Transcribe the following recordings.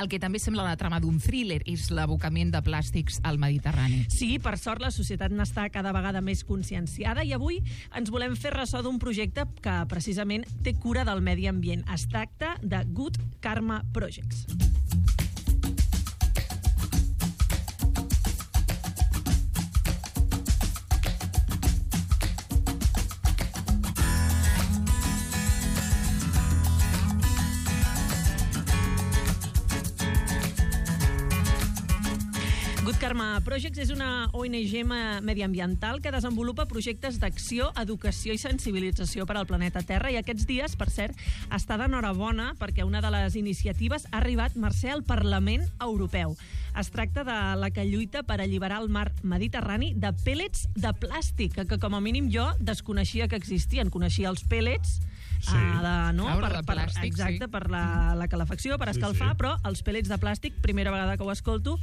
el que també sembla la trama d'un thriller és l'abocament de plàstics al Mediterrani. Sí, per sort la societat n'està cada vegada més conscienciada i avui ens volem fer ressò d'un projecte que precisament té cura del medi ambient. Es tracta de Good Karma Projects. Good Karma Projects és una ONG mediambiental que desenvolupa projectes d'acció, educació i sensibilització per al planeta Terra i aquests dies, per cert, està d'enhorabona perquè una de les iniciatives ha arribat, Mercè, al Parlament Europeu. Es tracta de la que lluita per alliberar el mar Mediterrani de pèl·lets de plàstic, que com a mínim jo desconeixia que existien. Coneixia els pèl·lets per la calefacció, per escalfar, però els pèl·lets de plàstic, primera vegada que ho escolto.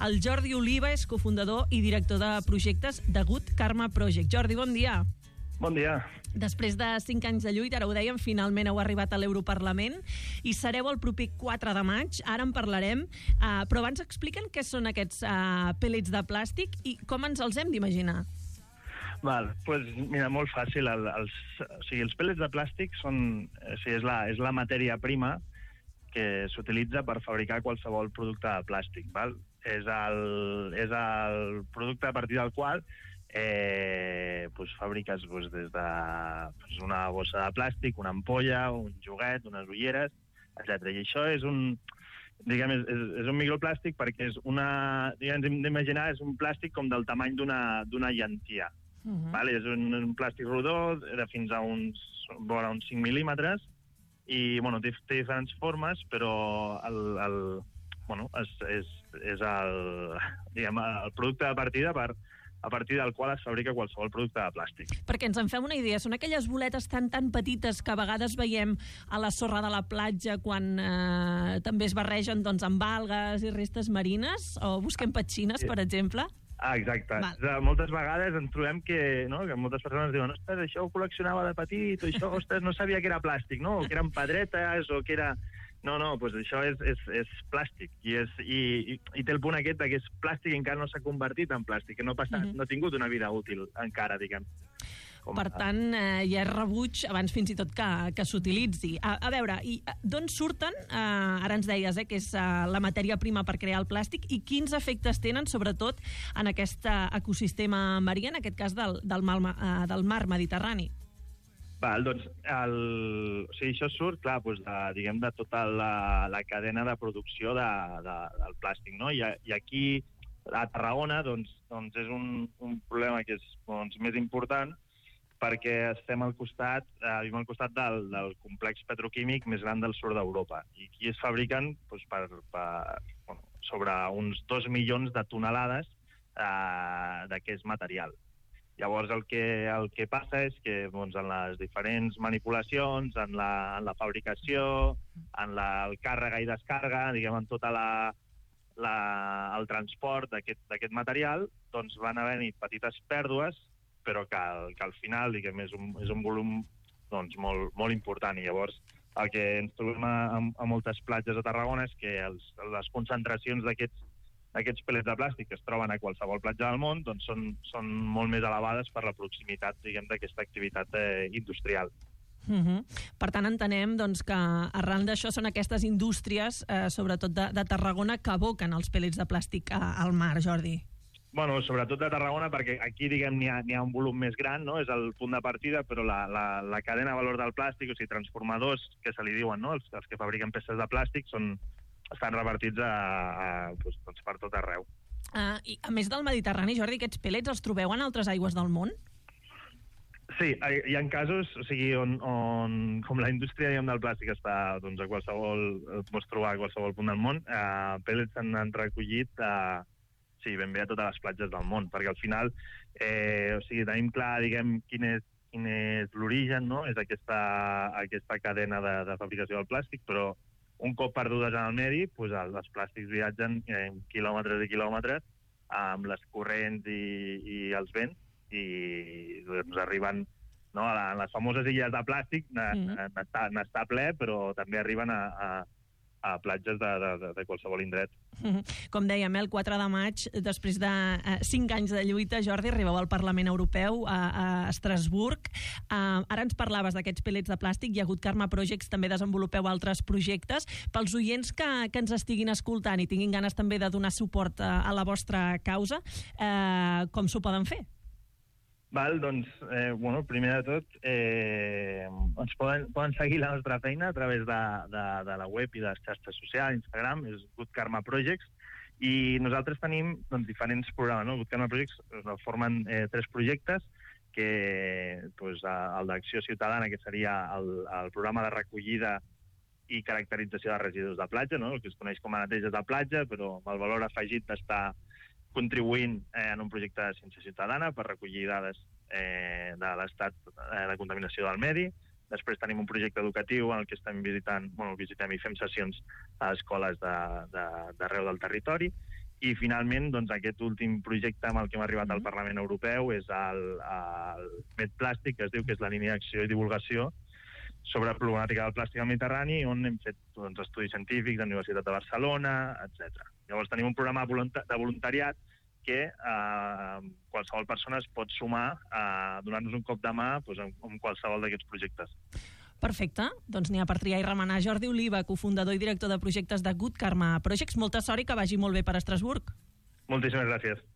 El Jordi Oliva és cofundador i director de projectes de Good Karma Project. Jordi, bon dia. Bon dia. Després de 5 anys de lluita, ara ho dèiem, finalment heu arribat a l'Europarlament i sereu el proper 4 de maig, ara en parlarem, però abans expliquen què són aquests pèl·lets de plàstic i com ens els hem d'imaginar. Doncs mira, molt fàcil. Els pèl·lets de plàstic és la matèria prima que s'utilitza per fabricar qualsevol producte de plàstic. Val? És el producte a partir del qual fabriques des d'una bossa de plàstic, una ampolla, un joguet, unes ulleres, etc. I això és un microplàstic perquè hem d'imaginar, és un plàstic com del tamany d'una llentia. És un plàstic rodó de fins a uns 5 mil·límetres i té diferents formes, però és el producte de partida a partir del qual es fabrica qualsevol producte de plàstic. Perquè ens en fem una idea, són aquelles boletes tan petites que a vegades veiem a la sorra de la platja quan també es barregen amb algues i restes marines, o busquem petxines, per exemple? Exacte. Moltes vegades ens trobem que moltes persones diuen ostres, això ho col·leccionava de petit, o això, ostres, no sabia que era plàstic, no? O que eren pedretes, o que era... No, doncs això és plàstic. I té el punt aquest que és plàstic i encara no s'ha convertit en plàstic, que no ha tingut una vida útil encara, diguem. Per tant, ja és rebuig abans fins i tot que s'utilitzi. A veure, d'on surten, ara ens deies que és la matèria prima per crear el plàstic, i quins efectes tenen, sobretot, en aquest ecosistema marí, en aquest cas del mar Mediterrani? Doncs això surt, clar, de tota la cadena de producció del plàstic, no? I aquí, a Tarragona, doncs és un problema que és més important, perquè vivim al costat del complex petroquímic més gran del sud d'Europa. I aquí es fabriquen sobre uns 2 milions de tonelades d'aquest material. Llavors el que passa és que en les diferents manipulacions, en la fabricació, en el càrrega i descàrrega, en tot el transport d'aquest material, doncs van haver-hi petites pèrdues, però que al final és un volum molt important. I llavors el que ens trobem a moltes platges de Tarragona és que les concentracions d'aquests pèl·lets de plàstic que es troben a qualsevol platja del món són molt més elevades per la proximitat d'aquesta activitat industrial. Per tant, entenem que arran d'això són aquestes indústries, sobretot de Tarragona, que aboquen els pèl·lets de plàstic al mar, Jordi. Sobretot de Tarragona, perquè aquí n'hi ha un volum més gran, no? És el punt de partida, però la cadena de valor del plàstic, o sigui, transformadors, que se li diuen, no? Els que fabriquen peces de plàstic, estan repartits per tot arreu. I a més del Mediterrani, Jordi, aquests pèl·lets els trobeu en altres aigües del món? Sí, hi ha casos, on com la indústria del plàstic està a qualsevol, pots trobar a qualsevol punt del món, pèl·lets s'han recollit ben bé a totes les platges del món, perquè al final tenim clar, quin és l'origen, no? És aquesta cadena de fabricació del plàstic, però un cop perdudes en el medi, els plàstics viatgen quilòmetres i quilòmetres amb les corrents i els vents i arriben a les famoses illes de plàstic, n'està ple, però també arriben a a platges de qualsevol indret. Com dèiem, el 4 de maig, després de 5 anys de lluita, Jordi, arribeu al Parlament Europeu a Estrasburg. Ara ens parlaves d'aquests pellets de plàstic, hi ha hagut Karma Projects, també desenvolupeu altres projectes. Pels oients que ens estiguin escoltant i tinguin ganes també de donar suport a la vostra causa, com s'ho poden fer? Doncs, primer de tot, ens poden seguir la nostra feina a través de la web i de les xarxes socials, Instagram, és Good Karma Projects, i nosaltres tenim diferents programes, no? Good Karma Projects formen 3 projectes, que el d'Acció Ciutadana, que seria el programa de recollida i caracterització de residus de platja, no? El que es coneix com a neteja de platja, però amb el valor afegit d'estar contribuint en un projecte de ciència ciutadana per recollir dades de l'estat de contaminació del medi. Després tenim un projecte educatiu en el que visitem i fem sessions a escoles d'arreu del territori. I finalment, aquest últim projecte amb el que hem arribat al Parlament Europeu és el MedPlàstic, que es diu que és la línia d'acció i divulgació sobre problemàtica del plàstic al Mediterrani, on hem fet estudis científics de la Universitat de Barcelona, etc. Llavors tenim un programa de voluntariat que qualsevol persona es pot sumar a donar-nos un cop de mà en qualsevol d'aquests projectes. Perfecte, doncs n'hi ha per triar i remenar. Jordi Oliva, cofundador i director de projectes de Good Karma Projects, molta sort i que vagi molt bé per Estrasburg. Moltíssimes gràcies.